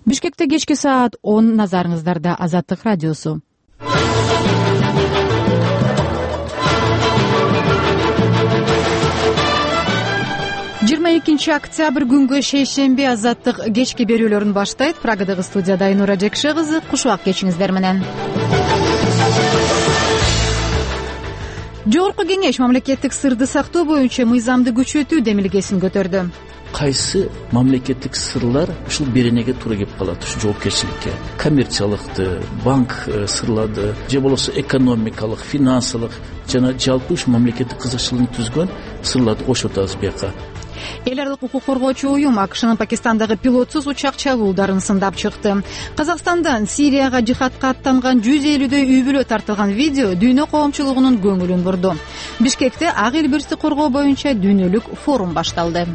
Бишкекте кечки саат 10, назарыңыздарда Азаттык радиосу. 22 октябрь күнгө шейшемби Азаттык кечки берүүлөрүн баштайт. Прагадагы студияда Айнура Жекше кызы, кушубак кечиңиздер менен. Жогорку кеңеш мамлекеттик сырды сактоо боюнча мыйзамды күчөтүү демилгесин көтөрдү. Кайсы мамлекеттик сырлар ушул беренеге туура келип калат, ушу жоопкерчиликке? Коммерциялыкты, банк сырларды, же болбосо экономикалык, финансылык жана жалпы ушу мамлекеттик кызыкчылыгын түзгөн сырларды кошуп атабыз бияка. Эл аралык укук коргоочу уюм АКШнын Пакистандагы пилотсуз учак чабуулдарын сындап чыкты. Казакстандан Сирияга жихадка аттанган 150дөй үй бүлө тартылган видео дүйнө коомчулугунун көңүлүн бурду. Бишкекте ак эл бирсти коргоо боюнча дүйнөлүк форум башталды.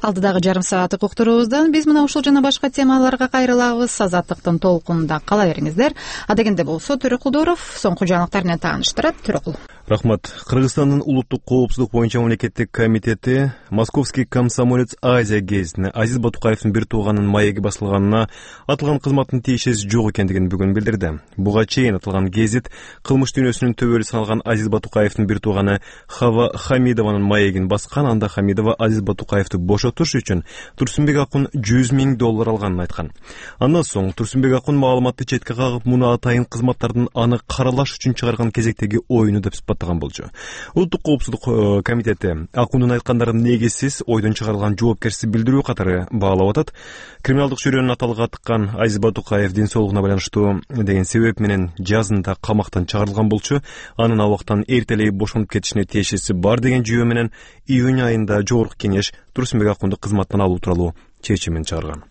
Алдыдагы жарым сааттык уктуруубуздан биз мына ушул жана башка темаларга кайрылабыз. Азаттыктын толкунунда кала бериңиздер. Адегенде болсо Төрөкулдоров соңку жаңылыктар менен тааныштырат. Төрөкул. Рахмат. Кыргызстандын улуттук коопсуздук боюнча мамлекеттик комитети Московский комсомолец Азия гезитине Азиз Батукаевдин бир тууганынын маеги басылганына атылган кызматтын тиешеси жок экендигин бүгүн билдирди. Буга чейин атылган гезит кылмыш дүйнөсүнүн төбөлү саналган Азиз Батукаевдин бир тууганы Хава Хамидованын маегин баскан. Анда Хамидова Азиз Батукаевди бошотуш үчүн Турсунбек Акун $100 000 алганын айткан. Андан соң Турсунбек Акун маалыматты четке кагып, муну атайын кызматтардын аны каралаш үчүн чыгарган кезектеги оюну деп сыпаттаган болчу. Улуттук коопсуздук комитети Акундун айткандарын негизсиз, ойдон чыгарылган жоопкерсиз билдирүү катары баалап атат. Криминалдык чөйрөнүн аталыгы тыккан Азиз Батукаев ден соолугуна байланыштуу деген себеп менен жазында камактан чыгарылган болчу. Анын абактан эртелей бошонуп кетишине тиешеси бар деген жүйө менен июнь айында жогорку кеңеш Турсунбек Акунду кызматтан алуу тууралуу чечимин чыгарган.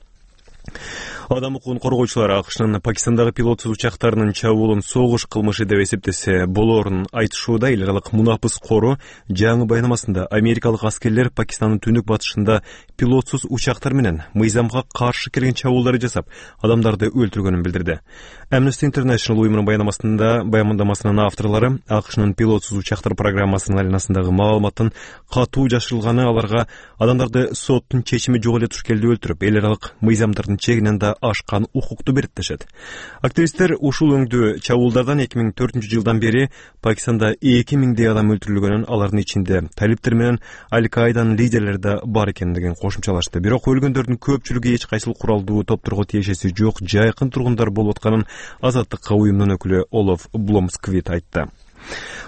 Адам укугун коргоочулар АКШнын Пакистандагы пилотсуз учактарынын чабуулун согуш кылмышы деп эсептесе болоорун айтышууда. Эл аралык мунапыс кору жаңы баянамасында америкалык аскерлер Пакистандын түндүк батышында пилотсуз учактар менен мыйзамга каршы келген чабуулдарды жасап, адамдарды өлтүргөнүн билдирди. Amnesty International уюмунун баяндамасынын авторлору АКШнын пилотсуз учактар программасынын аренасындагы маалыматтын катуу жашырылганы аларга адамдарды соттун чечими жок эле туш келди өлтүрүп, эл аралык мыйзамдардын чегинен да ашкан укукту берет дешет. Активисттер ушул өңдүү чабуулдардан 2004 жылдан бери Пакистанда 2000 адам өлтүрүлгөнүн, алардын ичинде талиптер менен Аль-Каиданын лидерлери да бар экендигин кошумчалашты. Бирок өлгөндөрдүн көпчүлүгү эч кайсыл куралдуу топторго тиешеси жок, жайкын тургундар болуп атканын Азаттыкка уюмдун өкүлү Олаф Бломсквит айтты.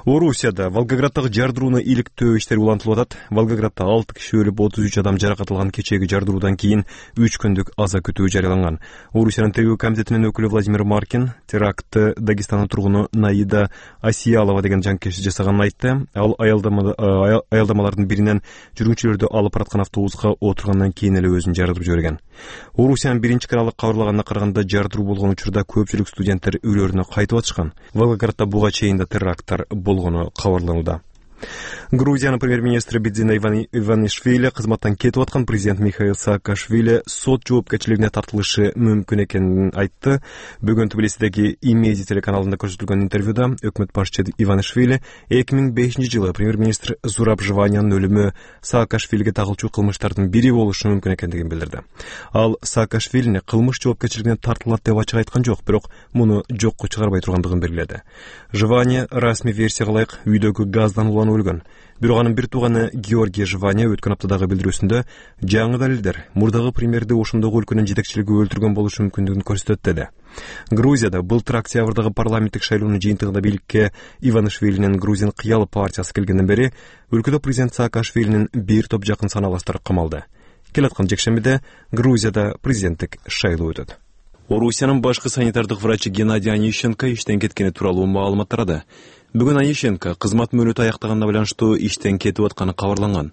Орусияда Волгограддагы жардырууну иликтөө иштери улантылып атат. Волгоградда 6 киши өлүп, 33 адам жаракат алган кечеги жардыруудан кийин 3 күндүк аза күтүү жарыяланган. Орусиянын тергөө комитетинин өкүлү Владимир Маркин терактты Дагестандын тургуну Наида Асиялова деген жанкеши жасаганын айтты. Ал аялдамалардын биринен жүргүнчүлөрдү алып бараткан автобуска отургандан кийин эле өзүн жаратып жиберген. Орусиянын биринчи каналы кабарлаганына караганда жардыруу болгон учурда көпчүлүк студенттер үйлөрүнө кайтып атышкан. Волгоградда буга чейин да теракттар болгону кабарланууда. Грузиянын премьер-министри Бидзина Иванишвили кызматтан кетип аткан президент Михаил Саакашвили сот жоопкерчилигине тартылышы мүмкүн экенин айтты. Бүгүн Тбилисидеги Имеди телеканалында көрсөтүлгөн интервьюда өкмөт башчысы Иванишвили 2005 жылы премьер-министр Зураб Жваниянын өлүмү Саакашвилиге тагылчу кылмыштардын бири болушу мүмкүн экендигин билдирди. Ал Саакашвилини кылмыш жоопкерчилигине тартылат деп ачык айткан жок, бирок муну жокко чыгарбай тургандыгын белгиледи. Жвания расмий версияга ылайык үйдөгү газдан уланып өлгөн. Бирок анын бир тууганы Георгий Жвания өткөн аптадагы билдирүүсүндө жаңы далилдер мурдагы премьерди ошондогу өлкөнүн жетекчилиги өлтүргөн болушу мүмкүндүгүн көрсөтөт деди. Грузияда былтыр октябрдагы парламенттик шайлоонун жыйынтыгында бийликке Иванишвилинин Грузин кыял партиясы келгенден бери өлкөдө президент Саакашвилинин бир топ жакын саналаштары камалды. Келаткан жекшембиде Грузияда президенттик шайлоо өтөт. Орусиянын башкы санитардык врачы Геннадий Онищенко иштен кеткени тууралуу маалымат тарады. Бүгүн Онищенко кызмат мөөнөтү аяктаганына байланыштуу иштен кетип атканы кабарланган.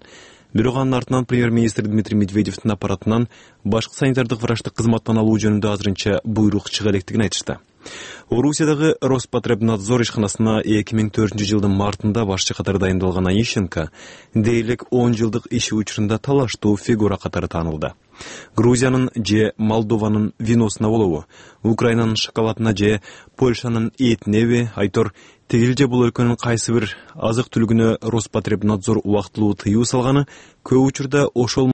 Бирок анын артынан премьер-министр Дмитрий Медведевдин аппаратынан башкы санитардык врачты кызматтан алуу жөнүндө азырынча буйрук чыга электигин айтышты. Орусиядагы Роспотребнадзор ишканасына 2004 жылдын мартында башчы катары дайындалган Онищенко дээрлик 10 жылдык иши учурунда талаштуу фигура катары таанылды. Грузиянын же Молдованын виносуна болобу, Украинанын шоколадына же Польшанын этинеби, айтор тигил же бул өлкөнүн кайсы бир азык түлүгүнө Роспотребнадзор убактылуу тыюу салганы көп учурда ошол